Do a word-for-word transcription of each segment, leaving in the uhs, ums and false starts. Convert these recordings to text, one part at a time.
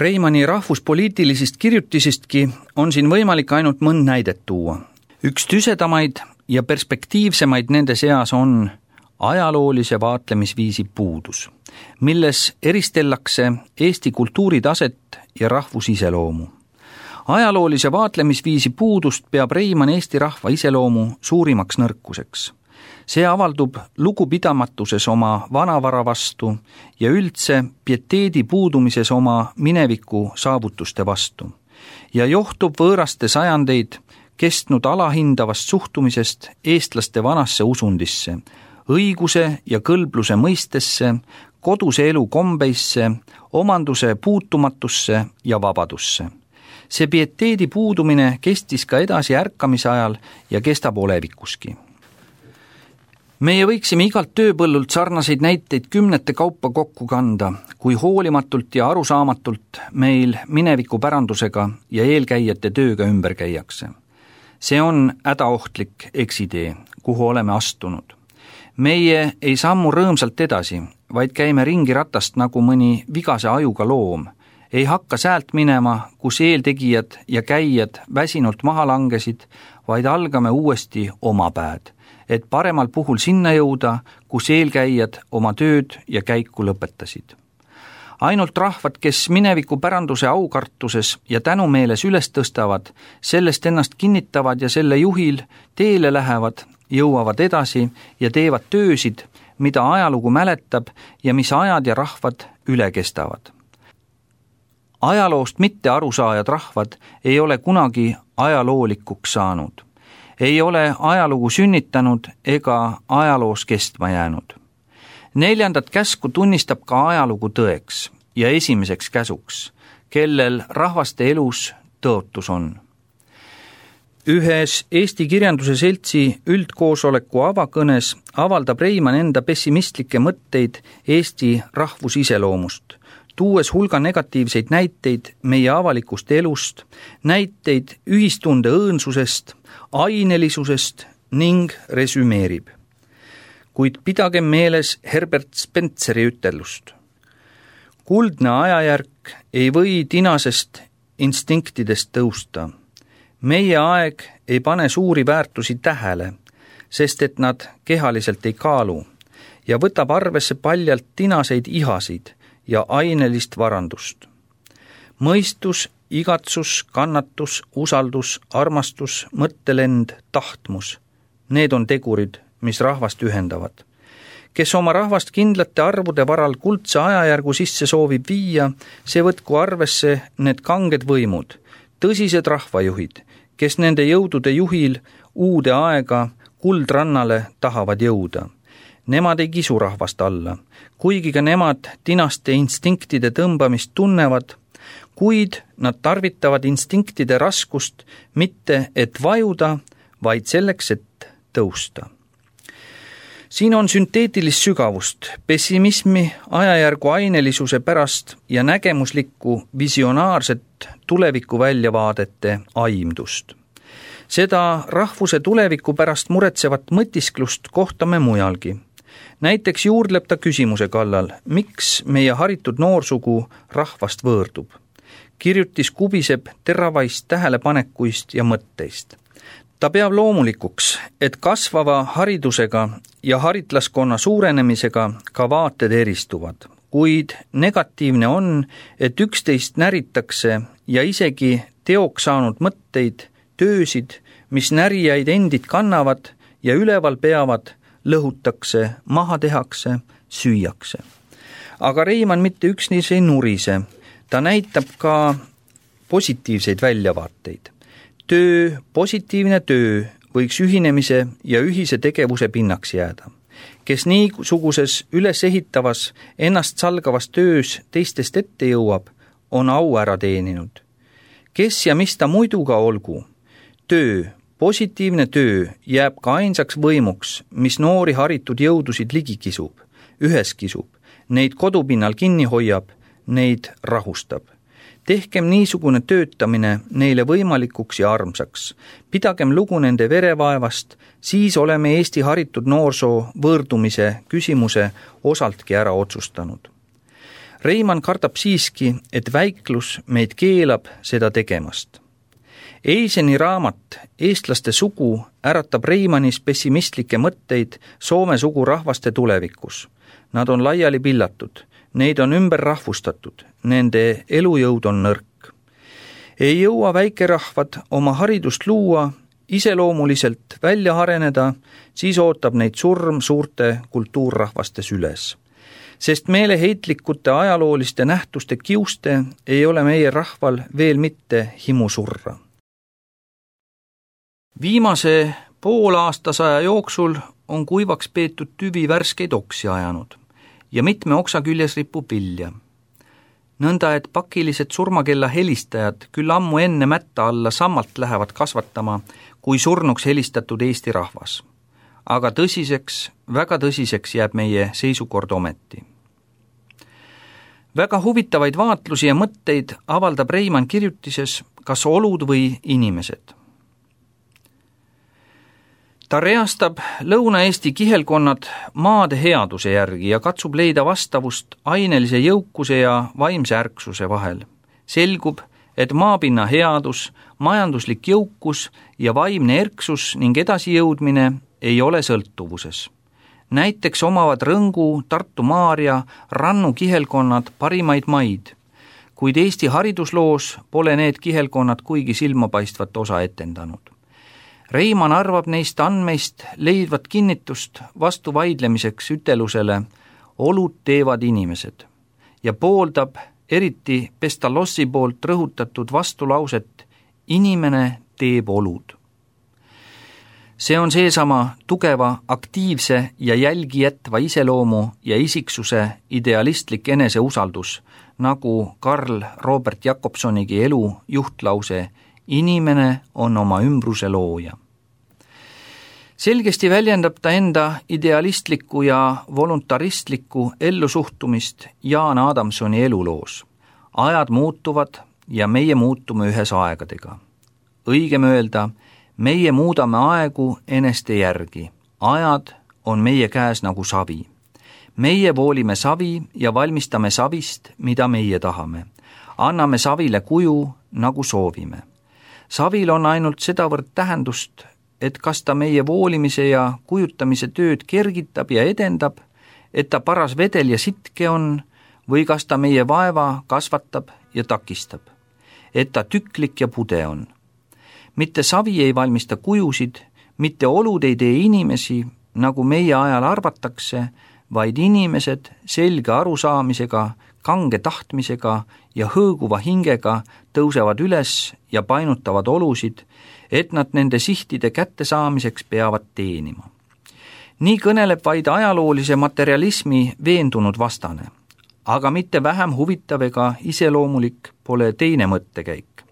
Reimanni rahvuspoliitilisest kirjutisestki on siin võimalik ainult mõnd näidet tuua. Üks tüsedamaid ja perspektiivsemaid nende seas on ajaloolise vaatlemisviisi puudus, milles eristellakse Eesti kultuuritaset ja rahvusiseloomu. Ajaloolise vaatlemisviisi puudust peab Reimann Eesti rahva iseloomu suurimaks nõrkuseks. See avaldub lugupidamatuses oma vanavara vastu ja üldse pieteedi puudumises oma mineviku saavutuste vastu ja johtub võõraste sajandeid kestnud alahindavast suhtumisest eestlaste vanasse usundisse, õiguse ja kõlbluse mõistesse, koduse elu kombeisse, omanduse puutumatusse ja vabadusse. See pieteedi puudumine kestis ka edasi ärkamise ajal ja kestab olevikuski. Meie võiksime igalt tööpõllult sarnaseid näiteid kümnete kaupa kokku kanda, kui hoolimatult ja arusaamatult meil mineviku pärandusega ja eelkäijate tööga ümber käiakse. See on hädaohtlik eksitee, kuhu oleme astunud. Meie ei sammu rõõmsalt edasi, vaid käime ringi ratast nagu mõni vigase ajuga loom. Ei hakka säält minema, kus eeltegijad ja käijad väsinult maha langesid, vaid algame uuesti oma pääd, et paremal puhul sinna jõuda, kus eelkäijad oma tööd ja käiku lõpetasid. Ainult rahvad, kes mineviku päranduse aukartuses ja tänumeeles üles tõstavad, sellest ennast kinnitavad ja selle juhil teele lähevad, jõuavad edasi ja teevad töösid, mida ajalugu mäletab ja mis ajad ja rahvad üle kestavad. Ajaloost mitte arusaajad rahvad ei ole kunagi ajaloolikuks saanud. Ei ole ajalugu sünnitanud ega ajaloos kestma jäänud. Neljandat käsku tunnistab ka ajalugu tõeks ja esimeseks käsuks, kellel rahvaste elus tõotus on. Ühes Eesti kirjanduse seltsi üldkoosoleku avakõnes avaldab Reimann enda pessimistlikke mõtteid Eesti rahvusiseloomust, tuues hulga negatiivseid näiteid meie avalikust elust, näiteid ühistunde õõnsusest, ainelisusest ning resümeerib. Kuid pidagem meeles Herbert Spenseri ütelust. Kuldne ajajärk ei või tinasest instinktidest tõusta. Meie aeg ei pane suuri väärtusi tähele, sest et nad kehaliselt ei kaalu ja võtab arvesse paljalt tinaseid ihasid ja ainelist varandust. Mõistus, igatsus, kannatus, usaldus, armastus, mõttelend, tahtmus. Need on tegurid, mis rahvast ühendavad. Kes oma rahvast kindlate arvude varal kuldse ajajärgu sisse soovib viia, see võtku arvesse need kanged võimud, tõsised rahvajuhid, kes nende jõudude juhil uude aega kuldrannale tahavad jõuda. Nemad ei kisu rahvast alla, kuigi ka nemad tinaste instinktide tõmbamist tunnevad, kuid nad tarvitavad instinktide raskust mitte et vajuda, vaid selleks, et tõusta. Siin on sünteetilist sügavust, pessimismi, ajajärgu ainelisuse pärast ja nägemuslikku visionaarset tuleviku väljavaadete aimdust. Seda rahvuse tuleviku pärast muretsevat mõtisklust kohtame mujalgi. Näiteks juurdleb ta küsimuse kallal, miks meie haritud noorsugu rahvast võõrdub. Kirjutis kubiseb teravaist tähelepanekuist ja mõtteist. Ta peab loomulikuks, et kasvava haridusega ja haritlaskonna suurenemisega ka vaated eristuvad, kuid negatiivne on, et üksteist näritakse ja isegi teoks saanud mõtteid, töösid, mis närijaid endid kannavad ja üleval peavad, lõhutakse, maha tehakse, süüakse. Aga Reimann mitte üksnes ei nurise, ta näitab ka positiivseid väljavaateid. Töö, positiivne töö võiks ühinemise ja ühise tegevuse pinnaks jääda. Kes niisuguses ülesehitavas, ennast salgavas töös teistest ette jõuab, on au ära teeninud. Kes ja mis ta muidu ka olgu, töö, positiivne töö jääb ka ainsaks võimuks, mis noori haritud jõudusid ligi kisub, ühes kisub, neid kodupinnal kinni hoiab, neid rahustab. Tehkem niisugune töötamine neile võimalikuks ja armsaks. Pidagem lugu nende verevaevast, siis oleme Eesti haritud noorsoo võõrdumise küsimuse osaltki ära otsustanud. Reimann kardab siiski, et väiklus meid keelab seda tegemast. Eiseni raamat Eestlaste sugu äratab Reimannis pessimistlikke mõtteid Soome sugurahvaste tulevikus. Nad on laiali pillatud, neid on ümber rahvustatud, nende elujõud on nõrk. Ei jõua väikerahvad oma haridust luua, iseloomuliselt välja areneda, siis ootab neid surm suurte kultuurrahvaste süles. Sest meeleheitlikute ajalooliste nähtuste kiuste ei ole meie rahval veel mitte himusurra. Viimase poolaastasaja jooksul on kuivaks peetud tüvi värskeid oksi ajanud ja mitme oksa küljes ripub vilja. Nõnda, et pakilised surmakella helistajad küll ammu enne mätta alla sammalt lähevad kasvatama, kui surnuks helistatud Eesti rahvas. Aga tõsiseks, väga tõsiseks jääb meie seisukord ometi. Väga huvitavaid vaatlusi ja mõtteid avaldab Reimann kirjutises Kas olud või inimesed. Ta reastab Lõuna-Eesti kihelkonnad maade headuse järgi ja katsub leida vastavust ainelise jõukuse ja vaimse ärksuse vahel. Selgub, et maapinna headus, majanduslik jõukus ja vaimne erksus ning edasijõudmine ei ole sõltuvuses. Näiteks omavad Rõngu, Tartu Maarja, Rannu kihelkonnad parimaid maid, kuid Eesti haridusloos pole need kihelkonnad kuigi silmapaistvat osa etendanud. Reimann arvab neist andmeist leidvat kinnitust vastu vaidlemiseks ütelusele olud teevad inimesed ja pooldab eriti Pestalozzi poolt rõhutatud vastulauset inimene teeb olud. See on seesama tugeva, aktiivse ja jälgi jätva iseloomu ja isiksuse idealistlik eneseusaldus, nagu Karl Robert Jakobsonigi elu juhtlause inimene on oma ümbruse looja. Selgesti väljendab ta enda idealistlikku ja voluntaristlikku ellusuhtumist Jaan Adamsoni eluloos. Ajad muutuvad ja meie muutume ühes aegadega. Õigem öelda, meie muudame aegu eneste järgi. Ajad on meie käes nagu savi. Meie voolime savi ja valmistame savist, mida meie tahame. Anname savile kuju, nagu soovime. Savil on ainult sedavõrd tähendust, et kas ta meie voolimise ja kujutamise tööd kergitab ja edendab, et ta paras vedel ja sitke on, või kas ta meie vaeva kasvatab ja takistab, et ta tüklik ja pude on. Mitte savi ei valmista kujusid, mitte olud ei tee inimesi, nagu meie ajal arvatakse, vaid inimesed selge arusaamisega, kange tahtmisega ja hõõguva hingega tõusevad üles ja painutavad olusid, et nad nende sihtide kättesaamiseks peavad teenima. Nii kõneleb vaid ajaloolise materialismi veendunud vastane, aga mitte vähem huvitav ega iseloomulik pole teine mõttekäik.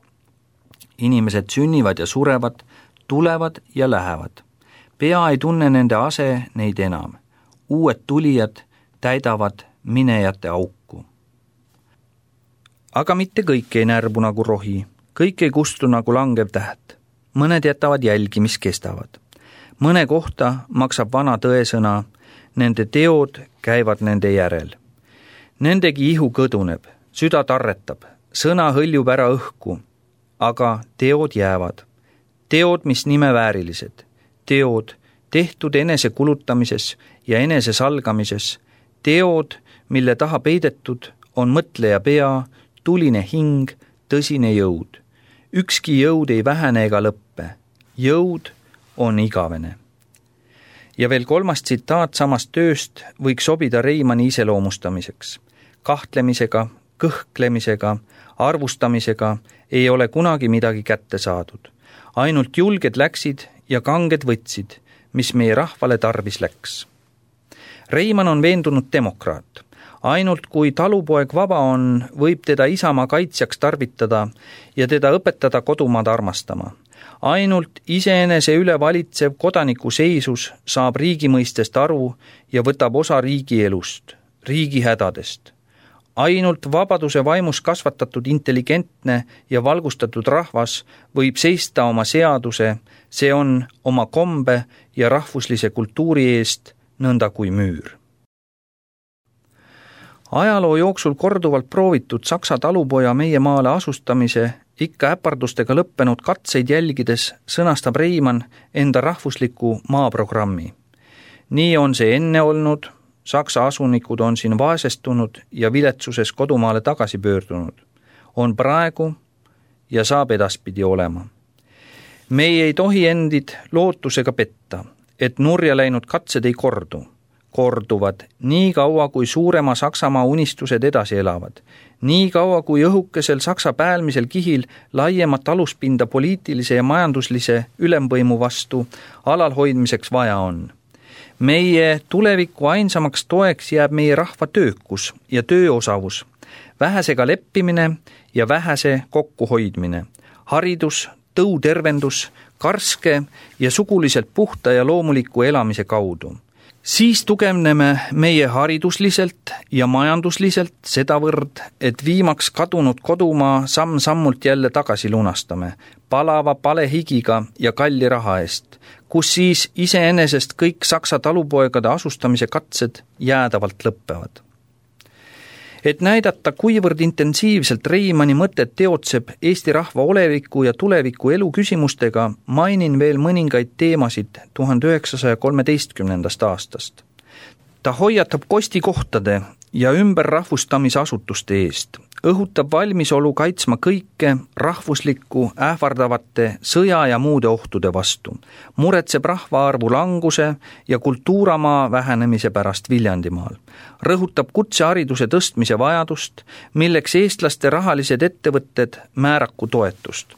Inimesed sünnivad ja surevad, tulevad ja lähevad. Pea ei tunne nende ase neid enam. Uued tulijad täidavad minejate auku. Aga mitte kõik ei närbu nagu rohi, kõik ei kustu nagu langev täht. Mõned jätavad jälgi, mis kestavad. Mõne kohta maksab vana tõesõna, nende teod käivad nende järel. Nendegi ihu kõduneb, süda tarretab, sõna hõljub ära õhku, aga teod jäävad. Teod, mis nime väärilised. Teod, tehtud enese kulutamises ja enese salgamises. Teod, mille taha peidetud on mõtleja pea, tuline hing, tõsine jõud. Ükski jõud ei vähene ega lõppe. Jõud on igavene. Ja veel kolmas tsitaat samast tööst võiks sobida Reimanni iseloomustamiseks. Kahtlemisega, kõhklemisega, arvustamisega ei ole kunagi midagi kätte saadud. Ainult julged läksid ja kanged võtsid, mis meie rahvale tarvis läks. Reimann on veendunud demokraat. Ainult kui talupoeg vaba on, võib teda isamaa kaitsjaks tarvitada ja teda õpetada kodumaad armastama. Ainult iseenese üle valitsev kodaniku seisus saab riigi mõistest aru ja võtab osa riigi elust, riigi hädadest. Ainult vabaduse vaimus kasvatatud intelligentne ja valgustatud rahvas võib seista oma seaduse, see on oma kombe ja rahvuslise kultuuri eest nõnda kui müür. Ajaloo jooksul korduvalt proovitud saksa talupoja meie maale asustamise ikka äpardustega lõppenud katseid jälgides sõnastab Reimann enda rahvusliku maaprogrammi. Nii on see enne olnud, saksa asunikud on siin vaesestunud ja viletsuses kodumaale tagasi pöördunud. On praegu ja saab edaspidi olema. Meie ei tohi endid lootusega petta, et nurja läinud katsed ei kordu. Korduvad nii kaua, kui suurema Saksamaa unistused edasi elavad. Nii kaua, kui õhukesel Saksa päälmisel kihil laiemat aluspinda poliitilise ja majanduslise ülemvõimu vastu alalhoidmiseks vaja on. Meie tuleviku ainsamaks toeks jääb meie rahva töökus ja tööosavus, vähesega leppimine ja vähese kokkuhoidmine, haridus, tõutervendus, karske ja suguliselt puhta ja loomuliku elamise kaudu. Siis tugevneme meie haridusliselt ja majandusliselt sedavõrd, et viimaks kadunud kodumaa samm-sammult jälle tagasi lunastame, palava palehigiga ja kalli raha eest, kus siis iseenesest kõik saksa talupoegade asustamise katsed jäädavalt lõppevad. Et näidata, kuivõrd intensiivselt Reimanni mõtet teotseb Eesti rahva oleviku ja tuleviku elu küsimustega, mainin veel mõningaid teemasid tuhande üheksasaja kolmeteistkümnendast aastast. Ta hoiatab kostikohtade ja ümberrahvustamisasutuste eest, õhutab valmisolu kaitsma kõike rahvuslikku ähvardavate sõja ja muude ohtude vastu, muretseb rahvaarvu languse ja kultuuramaa vähenemise pärast Viljandimaal, rõhutab kutsehariduse tõstmise vajadust, milleks eestlaste rahalised ettevõtted määraku toetust,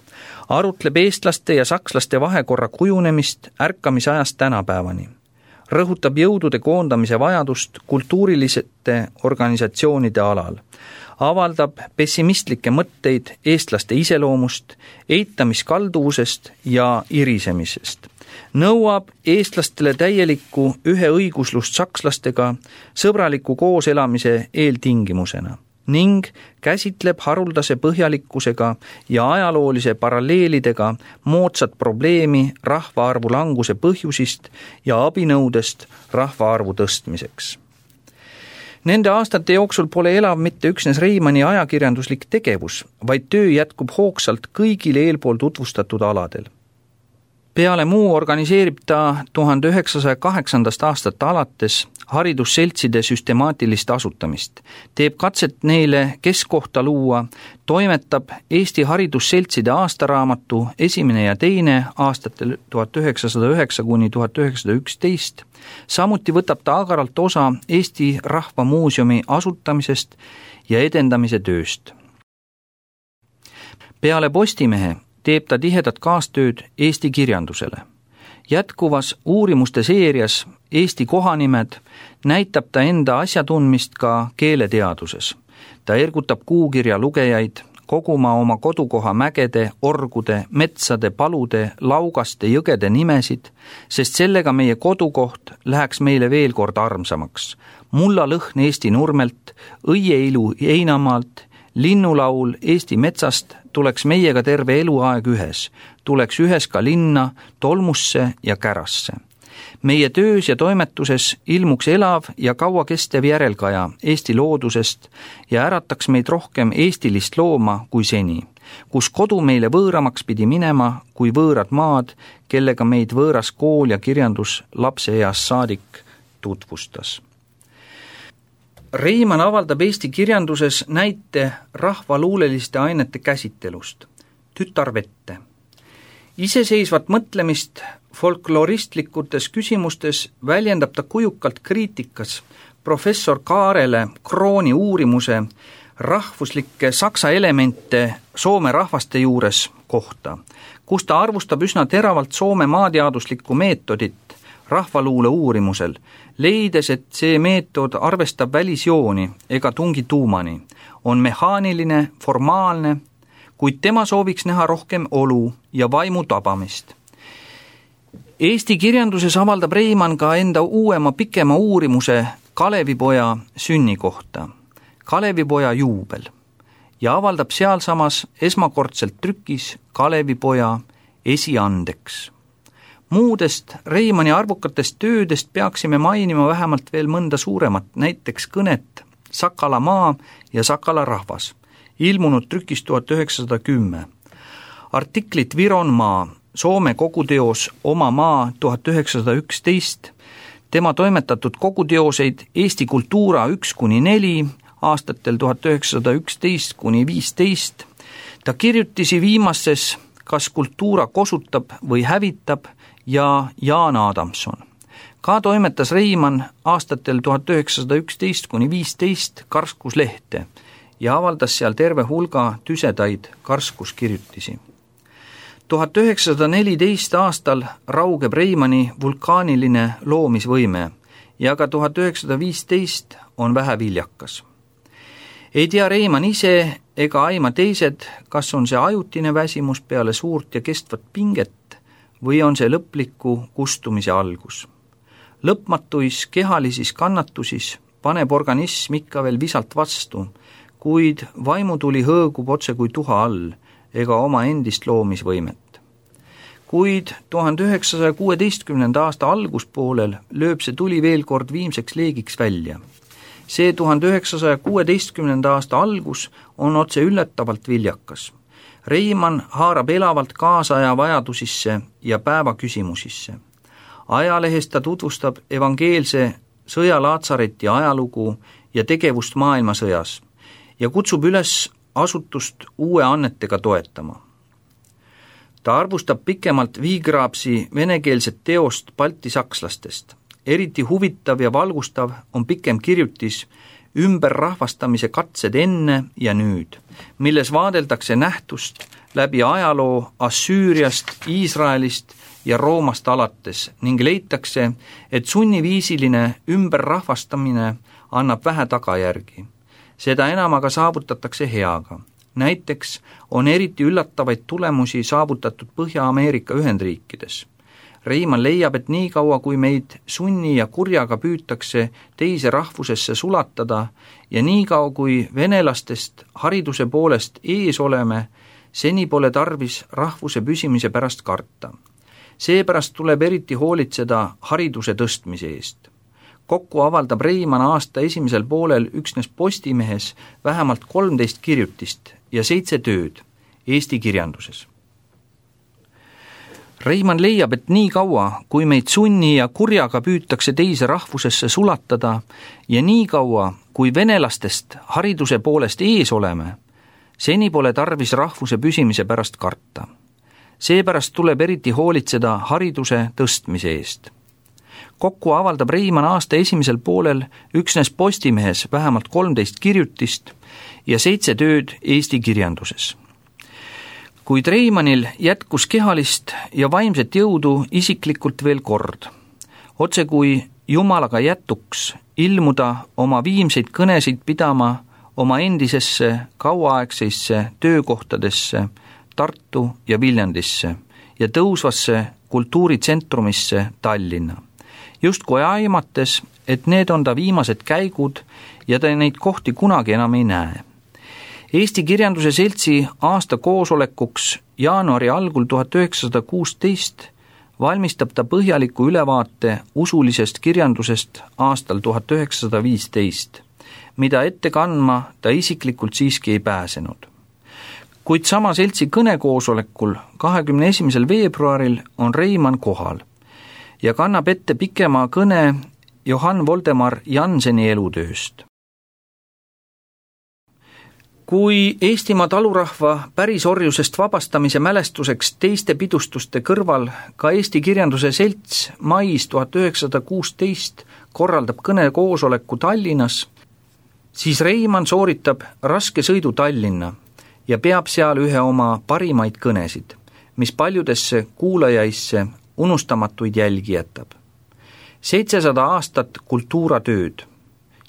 arutleb eestlaste ja sakslaste vahekorra kujunemist ärkamisajast tänapäevani, rõhutab jõudude koondamise vajadust kultuurilisete organisatsioonide alal, avaldab pessimistlikke mõtteid eestlaste iseloomust, eitamiskalduvusest ja irisemisest, nõuab eestlastele täielikku üheõiguslust sakslastega sõbraliku kooselamise eeltingimusena ning käsitleb haruldase põhjalikkusega ja ajaloolise paralleelidega moodsat probleemi rahvaarvu languse põhjusist ja abinõudest rahvaarvu tõstmiseks. Nende aastate jooksul pole elav mitte üksnes Reimanni ajakirjanduslik tegevus, vaid töö jätkub hoogsalt kõigil eelpool tutvustatud aladel. Peale muu organiseerib ta tuhande üheksasaja kaheksandast aastat alates haridusseltside süstemaatilist asutamist, teeb katset neile keskkohta luua, toimetab Eesti haridusseltside aastaraamatu esimene ja teine aastatel tuhat üheksasada üheksa kuni tuhat üheksasada üksteist, samuti võtab ta agaralt osa Eesti Rahva Muuseumi asutamisest ja edendamise tööst. Peale Postimehe teeb ta tihedat kaastööd Eesti kirjandusele. Jätkuvas uurimuste seerias Eesti kohanimed näitab ta enda asjatundmist ka keeleteaduses. Ta ergutab kuukirja lugejaid koguma oma kodukoha mägede, orgude, metsade, palude, laugaste, jõgede nimesid, sest sellega meie kodukoht läheks meile veel kord armsamaks. Mulla lõhn Eesti nurmelt, õieilu Heinamaalt, linnulaul Eesti metsast tuleks meiega terve eluaeg ühes, tuleks ühes ka linna, tolmusse ja kärasse. Meie töös ja toimetuses ilmuks elav ja kaua kestev järelkaja Eesti loodusest ja ärataks meid rohkem eestilist looma kui seni, kus kodu meile võõramaks pidi minema kui võõrad maad, kellega meid võõras kool ja kirjandus lapseeas saadik tutvustas. Reimann avaldab Eesti kirjanduses näite rahvaluuleliste ainete käsittelust, tütarvette. Iseseisvat mõtlemist folkloristlikutes küsimustes väljendab ta kujukalt kriitikas professor Kaarele Krooni uurimuse rahvuslike saksa elemente Soome rahvaste juures kohta, kus ta arvustab üsna teravalt Soome maateaduslikku meetodit rahvaluule uurimusel, leides, et see meetod arvestab välisjooni ega tungi tuumani, on mehaaniline, formaalne, kuid tema sooviks näha rohkem olu ja vaimu tabamist. Eesti kirjanduses avaldab Reimann ka enda uuema pikema uurimuse Kalevipoja sünni kohta, Kalevipoja juubel, ja avaldab sealsamas esmakordselt trükis Kalevipoja esiandeks. Muudest Reimanni arvukatest töödest peaksime mainima vähemalt veel mõnda suuremat, näiteks kõnet Sakala maa ja Sakala rahvas, ilmunud trükis tuhat üheksasada kümme. Artiklit Viron maa, Soome koguteos Oma maa tuhat üheksasada üksteist, tema toimetatud koguteoseid Eesti kultuura üks kuni neli aastatel tuhat üheksasada üksteist kuni viisteist. Ta kirjutisi viimases Kas kultuura kosutab või hävitab ja Jaan Adamson. Ka toimetas Reimann aastatel tuhat üheksasada üksteist kuni viisteist karskuslehte ja avaldas seal terve hulga tüsedaid karskuskirjutisi. tuhat üheksasada neliteist aastal raugeb Reimanni vulkaaniline loomisvõime ja ka tuhat üheksasada viisteist on vähe viljakas. Ei tea Reimann ise ega aima teised, kas on see ajutine väsimus peale suurt ja kestvat pinget või on see lõpliku kustumise algus. Lõpmatuis kehalisis kannatusis paneb organism ikka veel visalt vastu, kuid vaimutuli hõõgub otse kui tuha all ega oma endist loomisvõimet. Kuid tuhande üheksasaja kuueteistkümnenda aasta alguspoolel lööb see tuli veel kord viimseks leegiks välja. See tuhande üheksasaja kuueteistkümnenda aasta algus on otse üllatavalt viljakas. Reimann haarab elavalt kaasaja vajadusisse ja päeva küsimusisse. Ajalehes ta tutvustab evangeelse sõjalaatsareti ajalugu ja tegevust maailmasõjas ja kutsub üles asutust uue annetega toetama. Ta arvustab pikemalt Viigraapsi venekeelset teost baltisakslastest. Eriti huvitav ja valgustav on pikem kirjutis Ümberrahvastamise katsed enne ja nüüd, milles vaadeldakse nähtust läbi ajaloo Assüüriast, Iisraelist ja Roomast alates ning leitakse, et sunniviisiline ümberrahvastamine annab vähe tagajärgi. Seda enam aga saavutatakse heaga. Näiteks on eriti üllatavaid tulemusi saavutatud Põhja-Ameerika Ühendriikides. Reimann leiab, et nii kaua, kui meid sunni ja kurjaga püütakse teise rahvusesse sulatada ja nii kaua, kui venelastest hariduse poolest ees oleme, seni pole tarvis rahvuse püsimise pärast karta. Seepärast tuleb eriti hoolitseda hariduse tõstmise eest. Kokku avaldab Reimann aasta esimesel poolel üksnes Postimehes vähemalt kolmteist kirjutist ja seitse tööd Eesti kirjanduses. Reimann leiab, et nii kaua, kui meid sunni ja kurjaga püütakse teise rahvusesse sulatada ja nii kaua, kui venelastest hariduse poolest ees oleme, seni pole tarvis rahvuse püsimise pärast karta. Seepärast tuleb eriti hoolitseda hariduse tõstmise eest. Kokku avaldab Reimann aasta esimesel poolel üksnes Postimehes vähemalt kolmteist kirjutist ja seitse tööd Eesti kirjanduses. Kuid Reimannil jätkus kehalist ja vaimset jõudu isiklikult veel kord. Otse kui Jumalaga jätuks ilmuda oma viimseid kõnesid pidama oma endisesse kauaaegseisse töökohtadesse Tartu ja Viljandisse ja tõusvasse kultuuritsentrumisse Tallinna. Justkui aimates, et need on ta viimased käigud ja ta neid kohti kunagi enam ei näe. Eesti Kirjanduse Seltsi aasta koosolekuks jaanuari algul tuhat üheksasada kuusteist valmistab ta põhjaliku ülevaate usulisest kirjandusest aastal tuhat üheksasada viisteist, mida ette kandma ta isiklikult siiski ei pääsenud. Kuid sama seltsi kõnekoosolekul kahekümne esimesel veebruaril on Reimann kohal ja kannab ette pikema kõne Johann Voldemar Jannseni elutööst. Kui Eestimaa talurahva pärisorjusest vabastamise mälestuseks teiste pidustuste kõrval ka Eesti Kirjanduse Selts mais tuhat üheksasada kuusteist korraldab kõnekoosoleku Tallinnas, siis Reimann sooritab raske sõidu Tallinna ja peab seal ühe oma parimaid kõnesid, mis paljudesse kuulajaisse unustamatuid jälgi jätab. seitsesada aastat kultuuratööd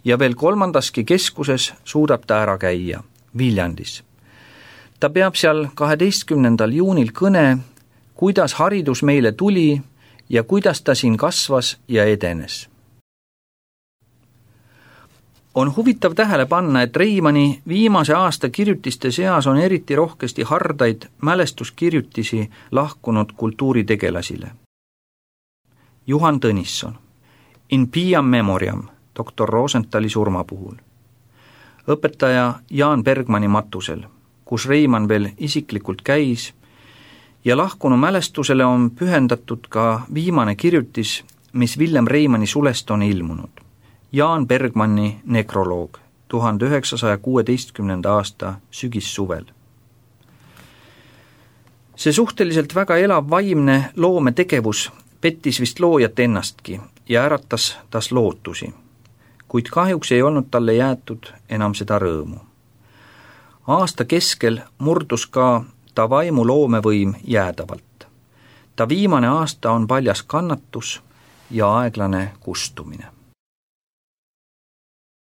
ja veel kolmandaski keskuses suudab ta ära käia, Viljandis. Ta peab seal kaheteistkümnendal juunil kõne, kuidas haridus meile tuli ja kuidas ta siin kasvas ja edenes. On huvitav tähele panna, et Reimanni viimase aasta kirjutiste seas on eriti rohkesti hardaid mälestuskirjutisi lahkunud kultuuritegelasile. Juhan Tõnisson, In Piam Memoriam, doktor Rosenthali surma puhul. õpetaja Jaan Bergmanni matusel, kus Reimann veel isiklikult käis, ja lahkunu mälestusele on pühendatud ka viimane kirjutis, mis Villem Reimanni sulest on ilmunud. Jaan Bergmanni nekroloog, tuhande üheksasaja kuueteistkümnenda aasta sügissuvel. See suhteliselt väga elav vaimne loometegevus pettis vist loojat ennastki ja äratas tas lootusi, kuid kahjuks ei olnud talle jäetud enam seda rõõmu. Aasta keskel murdus ka ta vaimu loomevõim jäädavalt. Ta viimane aasta on paljas kannatus ja aeglane kustumine.